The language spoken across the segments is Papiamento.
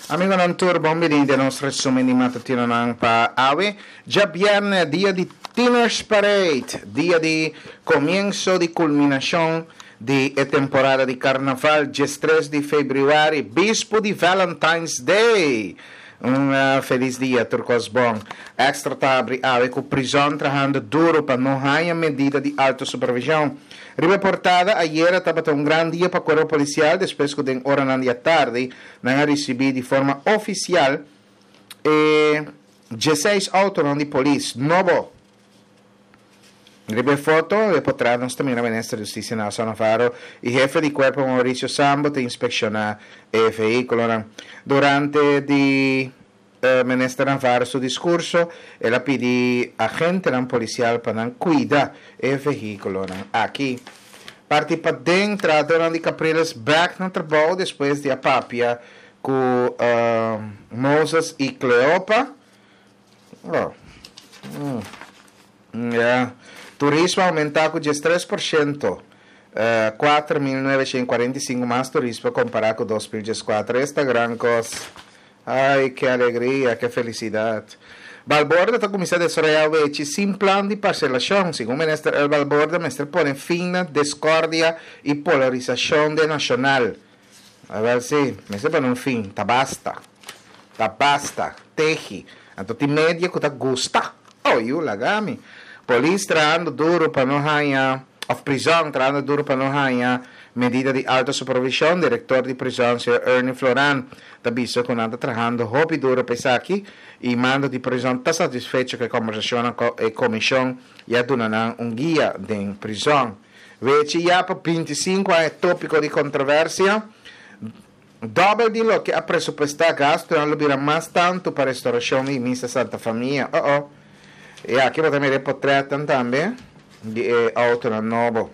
Amigonan tur bon bini den nos resumen di matutinonan pa awe djabierne dia di Tieners Parade, dia di comienso di culminacion di e temporada di Carnaval diestres di februari, bispu di Valentine's Day. Un felis dia tur cos bon. Extra ta habri awe cu prizon trahando duro pa no haya medida di alto supervision. Riba e portada, ayera tabata un gran dia pa Cuerpo Policial despues cu den oranan di atardi nan a ricibi di forma oficial e dieseis autonan di polis nobo. Riba e foto, e potret nos ta mira Minister di Husticia Nelson Navarro y Hefe di Cuerpo Mauricio Sambo ta inspecciona e vehiculonan. Durante di Minister Navarro su discurso, el a pidi agentenan policial pa nan cuida e vehiculonan aki. Parti paden, trahadornan di Capriles bek na trabou despues di a papia cu Moses y Cleopa. Oh. Mm. Ya. Turismo a aumenta cu 13%. 4.945 mas turismo compara cu 2014. Esta gran cos. Ay, ke alegria, ke felicidad. Balborda ta cuminsa desaroya wechi sin plan di parcelacion. Segun Minister El Balborda mester pone fin na discordia y polarisacion den nacional. Awel si, mester pone un fin. Ta basta. Ta basta. Tehi. Anto tin media cu ta gusta. Oh, yu laga mi. Polis trahando duro pa no haña, of prizon trahando duro pa no haña medida di alto supervision. Director di prizon, señor Ernie Floran, ta bisa cu nan ta trahando hopi duro pa esaki y mando di prizon ta satisfecho cu e combersacionnan cu e comision y a duna nan un guia den prizon. Wechi ya pa 25 aña e topico di controversia. Dobel di loke a presupuestá, gastunan lo bira mas tantu pa restaurashon di Misa Santa Famia. Oh oh. I aki bo ta mira e potretnan tambe di e outonan nobo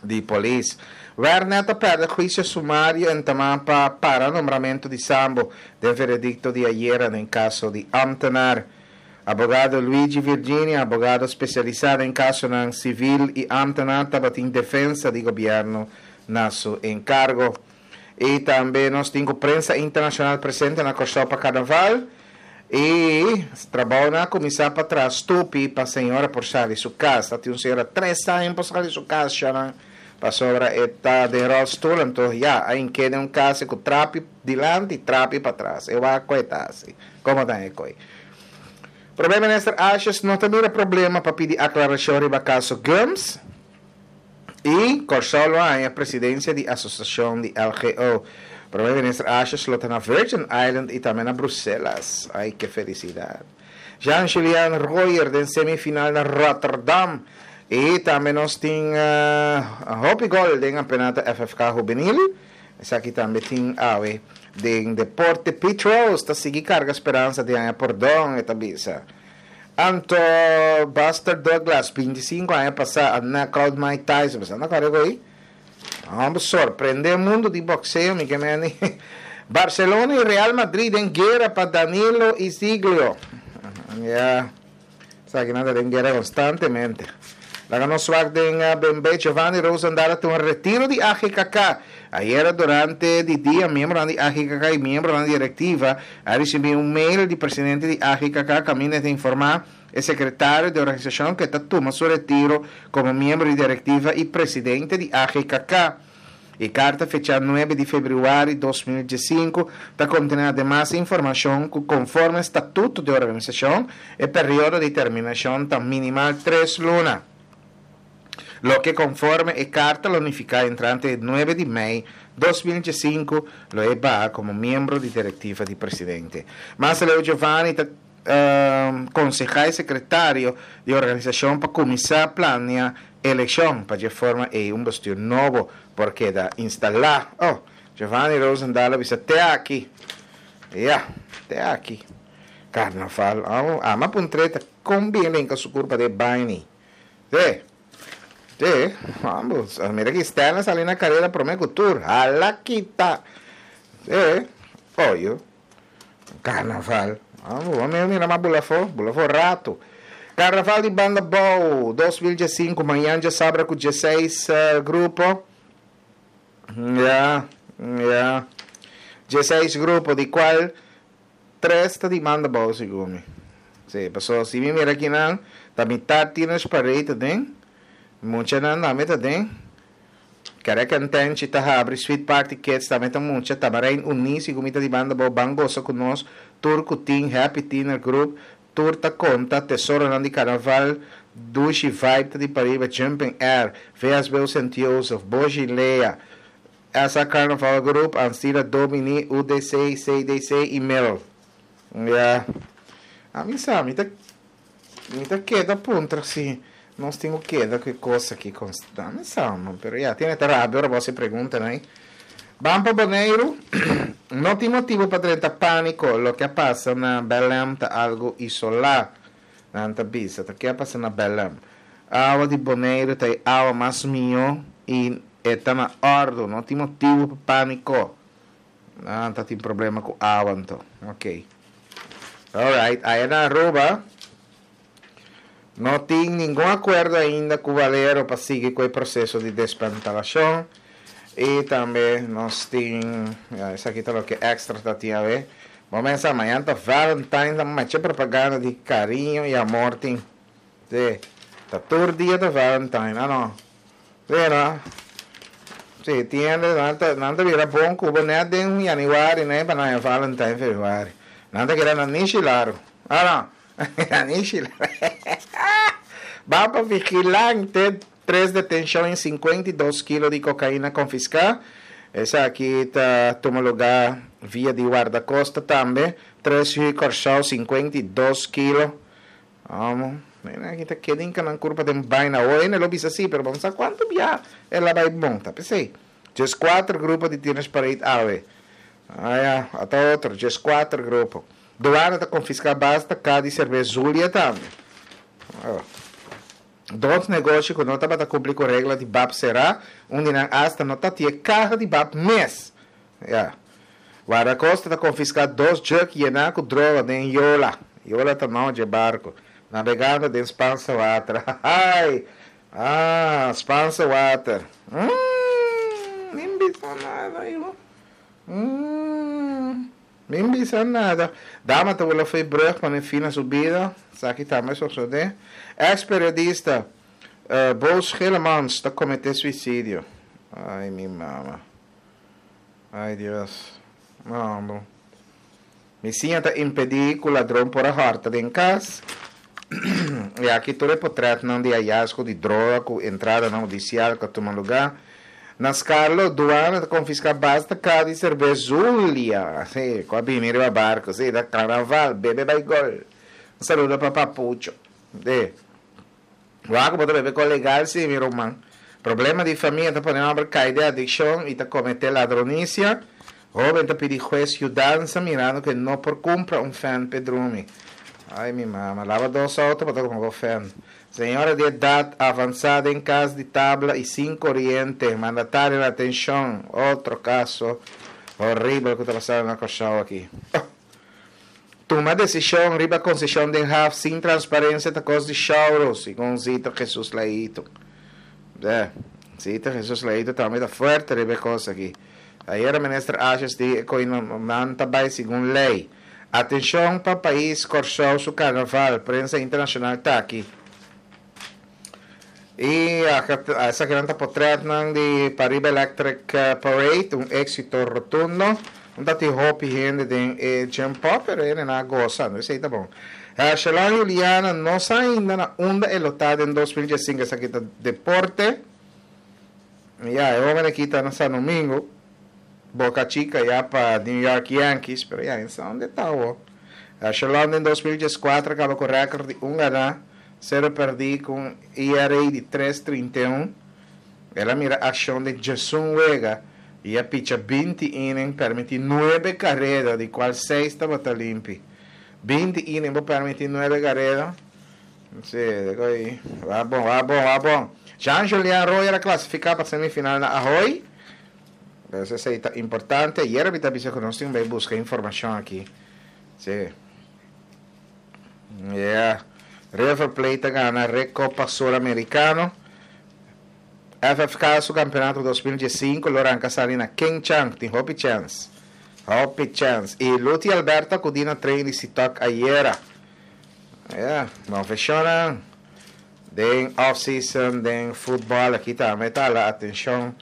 di polis. Wernet a pèrdè huisio sumario entamá pa para nombramentu di Sambo den veredikto di ayera den kaso di ámtenar. Abogado Luigi Virginia, abogado spesialisá den kasonan sivil i ámtenar tabatin defensa di gobièrnu na su enkargo. I tambe nos tin ku prensa internashonal presente na Kòrsou pa karnaval. I trabounan a kuminsá pa traha stupi pa señora por sali su kas. Ta tin un señora tres aña por sali su kas shanan pasobra e ta den ròlstul. Anto ya, a hink'é den un kas ku trapi dilanti i trapi patras. E wak ku e ta hasi. Komo ta e koi? Prome Minister Asjes no ta mira problema pa pidi aklarashon riba kaso Gumbs. I Kòrsou lo haña presidensia di asosiashon di LGO. Prome Minister Asjes lo ta na Virgin Island i tambe na Bruselas. Ai ke felisidat. Jean Julian Rojer den semifinal na Rotterdam. I tambe nos tin hopi gol den kampeonato FFK Hubenil. Esaki tambe tin awe den deporte. Pete Rose ta sigui karga speransa di haña pordon, e ta bisa. Anto Buster Douglas, 25 aña pasá, a knockout Mike Tyson. Bo sa na kòrda ku ei? Homber sorprendé mundu di bokseo, mi ke meni. Barcelona i Real Madrid den guera pa Danilo i Ziglio. Ya, esakinan ta den guera konstantemente. Laga nos wak den Bembe, Giovanni Rosendaal a tuma retiro di AGKK. Ayera durante di dia miembronan di AGKK i miembronan di direktiva a risibí un mail di presidente di AGKK kaminda e ta informá e sekretario di organisashon ku e ta tuma su retiro komo miembro di direktiva i presidente di AGKK. E karta fechá nuebe di febrüari 2015 ta kontené ademas e informashon ku konforme statuto di organisashon e periodo di terminashon ta minimal tres luna. Loke konforme e karta lo nifiká entrante e nuebe di mei 2015 lo e baha komo miembro di direktiva di presidente. Mas aleu Giovanni ta konsehá e sekretario di organisashon pa kuminsá plania elekshon pa dje forma ei un bestuur nobo por keda instalá. Oh, Giovanni Rozendal a bisa te aki. Ya, te aki. Karnaval. Oh, ama puntr'é ta kon bien lenka su kurpa den baño. Te, te, ambos. Mira ki Stanley sali na karera promé ku tur. Hala kita. Te, oyo. Karnaval. Ambos, a mira mas bula afó, bula afó rato. Karnaval di Banda Bou 2015, mañan djasabra ku 16 grupo. Ya, ya. 16 grupo, di kual tres ta di manda bou segun mi. Sí, paso si mi mira akinan, ta mitar Teenage Parade ta den, muchanan tambe ta den, Kerekentenchi ta habri, Sweet Party Kids tambe ta mucha, Tamarijn Uní segun mi ta di banda bou, Ban Gosa Ku Nos, Tur Ku Tin, Happy Teener Group, Tur Ta Konta, Tesoronan di Karnaval, Dushi Vibe ta di pariba, Jumping Air, VSBO Sint Joseph, Boshi Lea, SA Carnaval Group, Ansira Domini, UDC, CDC y Mel. Ya. Ami sa, mi ta mi ta keda puntra si nos tin ku keda ku e kos aki konstant. Mi sa man, pero ya, tiene ta rabia ora bo hasi preguntanan ei. Ban pa Boneiru, no tin motibu pa drenta pániko, loke a pasa na Belém ta algu isolá. Nan ta bisa, ta ke a pasa na Belém. Awa di Boneiru ta e awa mas mihó i e ta na òrdu, no tin motibu pa pániko. Nan ta tin problema ku awa anto. Ok. Alright, aya na Aruba no tin ningun akuerdo ainda ku Valero pa sigui ku e proseso di desmantelashon. I tambe nos tin, ya esaki ta loke extra ta tin awe. Bo mesa mañana ta Valentine, ta mache propaganda di kariño i amor tin. Sí, ta tur dia ta Valentine, ah no. Sí, no? Sí, tin hende, nan ta, nan ta bira bon ku bo net den januari, ne, pa nan haña Valentine februari. Nan ta keda na nishi largu. Ah no, na nishi largu. Ban pa vigilante, tres detenshon i 52 kilo di kokaina konfiská. Esaki ta tuma lugá via di Wardakosta tambe. Tres hui Kòrsou, 52 kilo. Amo, mira aki ta keda hinka nan kurpa den baina. Awor hende lo bisa si, pero bo no sa kuantu bia el a bai bon. Ta p'esei. Djeskuater grupo di Teenage Parade awe. Aya, ata otro, djeskuater grupo. Duana ta konfiská basta ka di serbes Zulia tambe. Oh. Dos negoshi ku no tabata kumpli ku regla di bap será, un di nan asta no ta tin e kaha di bap mes. Ya. Wardakosta ta konfiská dos jug yená ku droga den Yola. Yola ta nò dje barku. Nabegando den Spaanse Water. Hahaai! Ah, Spaanse Water. Umm, min bisa nada, hijo. Umm, min bisa nada. Dama ta wula fo'i brug pone fin na su bida. Esaki tambe sosodé. Ex periodista, Bo Schillemans ta kometé suisidio. Ai, mi mama. Ay Dios. No, bo. Mi siña ta impedí ku ladron por a hòrta den kas. I aki tur e potretnan di hayasgo di droga ku entradanan hudisial ku a tuma lugá. Na Skarlo, duana ta konfiská basta ka di serbes Zulia, sí, ku a bini riba barku. Sí, ta karnaval, bebe bai gol. Un saludo pa Papucho. Sí. Wak bo ta bebe ko legal si mi ruman. Problema di famia ta pone homber kai den adikshon i ta komete ladronisia. Hoben ta pidi hues yudansa mirando ku e no por kumpra un fan p'e drumi. Ai mi mama, laba dos auto pa ta kumpra bo fan. Señora di edat avansa den kas di tabla i sin koriente, mandatario na atenshon. Otro kaso horibel ku ta pasando na Kòrsou aki. Oh! Tuma desishon riba konseshon den haf sin transparensia ta kos di shouro, segun Zito Jesus Leito. De, Zito Jesus Leito tambe ta fuerte riba e kos aki. Ayera Minister Asjes di e koe nan ta bai segun lei. Atenshon pa pais Kòrsou su karnaval, prensa internashonal ta aki. I esakinan ta potretnan di Pariba Electric Parade, un éksito rotundo. No ta tin hopi hende den e Gym Pop, pero hendenan a gosa, no esei ta bon. Hershelon Juliana no sa ainda na unda e lo ta den 2015, esaki ta deporte. Ya, e hoben aki ta na San Domingo, Boca Chica ya pa New York Yankees, pero ya, e sa unda e ta awo. Hershelon den 2014 a kaba ku rèkòrt di un ganá. Sero pèrdí ku un ERA di tres 31. El a mira akshon den djesun wega i a picha 20 inning, pèrmití nuebe kareda, di kual seis tabata limpi. 20 inning bo pèrmití nuebe kareda? Sí, deko ei. Wak bon, wak bon, wak bon. Jean Julian Royer a klasifiká pa semifinal na Ahoy. Pues esei ta importante. Ayera mi ta bisa ku nos tin bai buska informashon aki. Sí. Yeah. River Plate ta gana Recopa Sur Americano. FFK su campeonato 2015 lo ranca sali na King Chang. Tin hopi chance. Hopi chèns. I Luti Alberto a kudí na trein di Sitok ayera. Ya, konfeshonnan den off season den futbòl aki tambe ta hala atenshon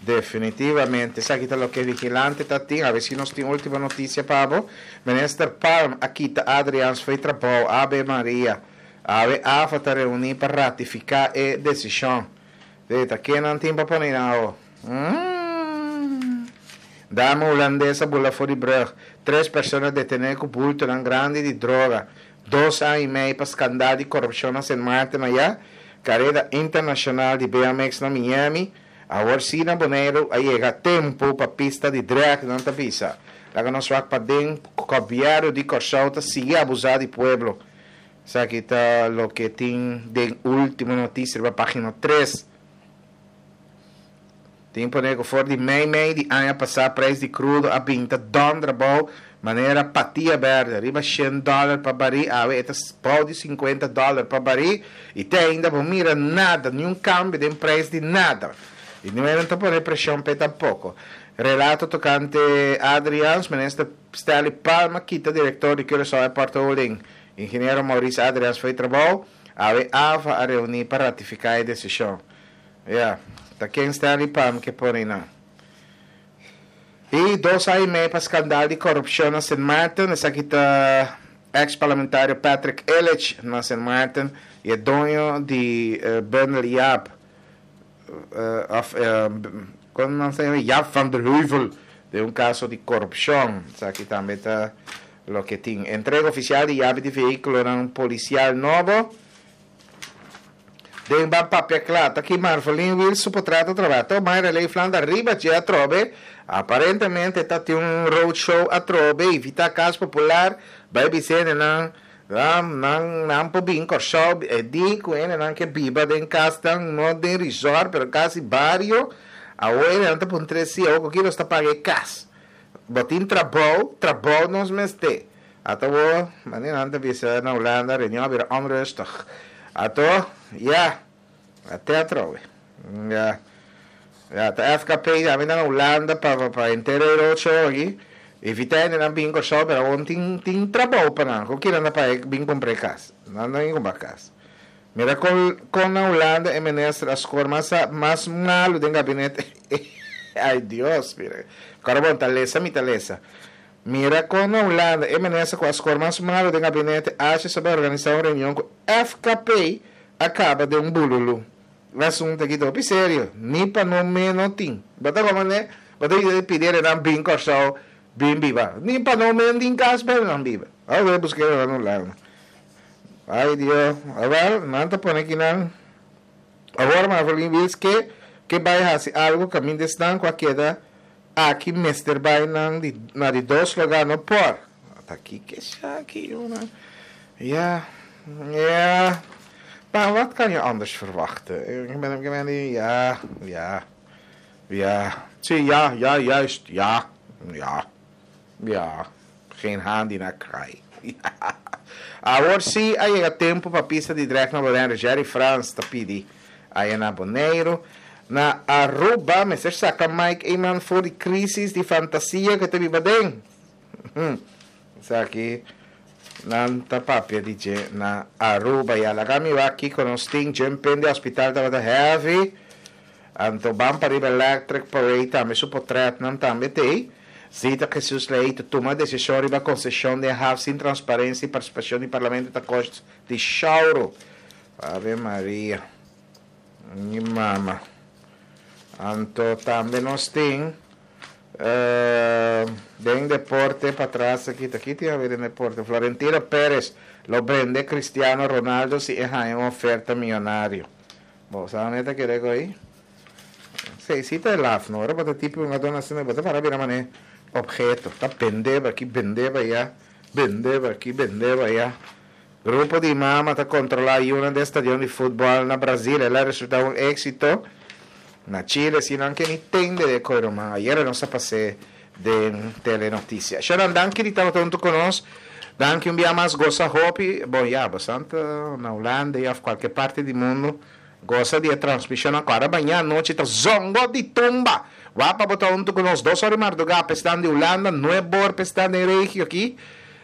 definitivamente. Esaki ta loke Vigilante ta tin. Awe si nos tin ultimo notisia pa bo. Minister Palm a kita Adriaans fo'i trabou. Ave Maria. Awe afa ta reuní pa ratifiká e desishon. Debe ta ken nan tin pa pone nan awo? Umm. Dama hulandes a bula for di brug. Tres persona detené ku bultonan grandi di droga. Dos aña i mei pa skandal di korupshon na Sint Maarten ayá. Kareda internashonal di BMX na Miami. Awor si na Boneiru a yega tempu pa pista di drag, nan ta bisa. Laga nos wak paden ku gobièrnu di Kòrsou ta sigui abusá di pueblo. Esaki ta loke tin den Ultimo Noticia riba pagina tres. Tin pone ku for di mei mei di aña pasá preis di krudo a bin ta dònder abou manera patia bèrdè, riba shen dòler pa barí, awe e ta bou di sinkuenta dòler pa barí i te ainda bo mira nada, niun kambio den preis di nada. I niun ta pone preshon p'e tampoko. Relato tokante Adriaans, Minister Stanley Palm a kita direktor di Curaçao Airport Holding, Ingeniero Maurice Adriaans fo'i trabou, awe AVA a reuní pa ratifiká e desishon. Ya, ta ken Stanley Palm ke pone nan? I dos aña i mei pa skandal di korupshon na Sint Maarten, esaki ta eks parlamentario Patrick Illich na Sint Maarten i e doño di Bundel Jaap, of kon nan sa yama Jaap van der Heuvel den un kaso di korupshon. Esaki tambe ta loke tin. Entrega ofisial di yabi di vehíkulonan polisial nobo. Den Ban Papia Kla ta ki Marvelin Wiels su potret a trabá. To Mayra Leefland ariba dje atrobe. Aparentemente ta tin un roadshow atrobe, invitá Kas Popular bai bisa hendenan Nan nan nan por bin Kòrsou e di ku hendenan ke biba den kasnan no den resort pero kasi bario awor hendenan ta puntra si awor ku ki nos ta paga e kas bo tin trabou trabou nos mester ato awor manera nan ta bisa na Hulanda reunion a bira onrustig ato ya ate atrobe ya ya ta FKP tambe ta na Hulanda pa pa pa henter e roadshow aki evita hendenan bin Kòrsou pero awor tin tin trabou pa nan ku kinan ta paga bin kumpra e kas nan no bin kumpra kas mira kon kon na Hulanda e minister a skor mas mas malu den gabinete ay Dios mira kòrda bon ta lesa mi ta lesa mira kon na Hulanda e minister ku a skor mas malu den gabinete achi sa bai organisa un reunion ku FKP a kaba den un bululu. E asuntu aki ta hopi serio, ni pa no me no tin. Bo ta komo ne, bo ta yuda pidi erenan bin Kòrsou bin biba. Ni pa no me tin kas pa erenan biba. Awor bo buska erenan un lado. Ay Dio, awel nan ta pone kinan. Awor Marvelin Wiels ke ke bai hasi algu kaminda esnan ku a keda aki mester bai nan di na di dos lugá no por. Ta kiko esaki una? Ja, ja. Maar wat kan je anders verwachten? Ik ben, ik ben, ja, ja, ja. Zie, ja, ja, juist, ja, ja, ja. Geen haan die naar kraai. Ja. Awor sí a yega tempo pa pista di drag na Bonaire. Jerry Frans ta pidi aya na Boneiru. Na Aruba mester saca Mike Eman for di crisis di fantasia cu e ta biba den. Esaki nan ta papia di dje na Aruba. Ya laga mi wak kiko nos tin. Jumping di hospital tabata heavy. Anto ban pa riba Electric Parade tambe su potretnan tambe t'ey. Zita Jesus Leito tuma desishon riba konseshon den haf sin transparensia i partisipashon di parlamento ta kost di shouro. Ave Maria. Mi mama. Anto tambe nos tin. Den deporte patras aki ta ki tin haber den deporte? Florentino Perez lo bende Cristiano Ronaldo si e haña un oferta miyonario. Bo sa wanneer ta kere ku ei? Si, si ta e laf no. Ora bo ta tipo un adorno asina bo ta para bira manera obheto. Ta bende bo aki, bende bo aya, bende bo aki, bende bo aya. Grupo di mama ta kontrolá yunan den stadion di futbòl na Brazil. El a resultá un éksito. Na Chile si nan ke ni tende de koe ruman. Ayera nos a pas'é den telenotisia. Sharon, danki di tabata huntu ku nos. Danki un bia mas. Gosa hopi. Bon, ya, bastante na Hulanda i òf kualke parti di mundu. Gosa di e transmishonnan ku ora maña anochi ta zongo di tumba. Wak pa bo ta huntu ku nos dos or di mardugá pa esnan di Hulanda, nuebor pa esnan den regio aki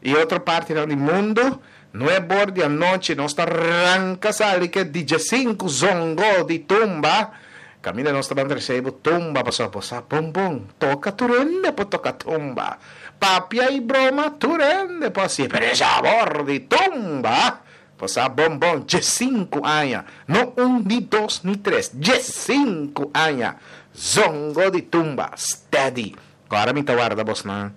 i otro partinan di mundu. Nuebor di anochi nos ta ranka sali ke diesinku zongo di tumba. Kaminda nos ta ban trese bo tumba pasobra bo sa bon bon toka tur hende por toka tumba. Papia i broma tur hende por hasié pero e sabor di tumba bo sa bon bon diesinku aña no un ni dos ni tres diesinku aña zongo di tumba steady. Ku ora mi ta warda bosnan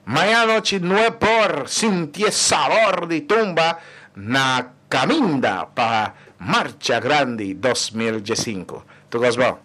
Maña anochi nue por sinti e sabor di tumba na caminda pa Marcha Grandi 2015. Tur cos bon.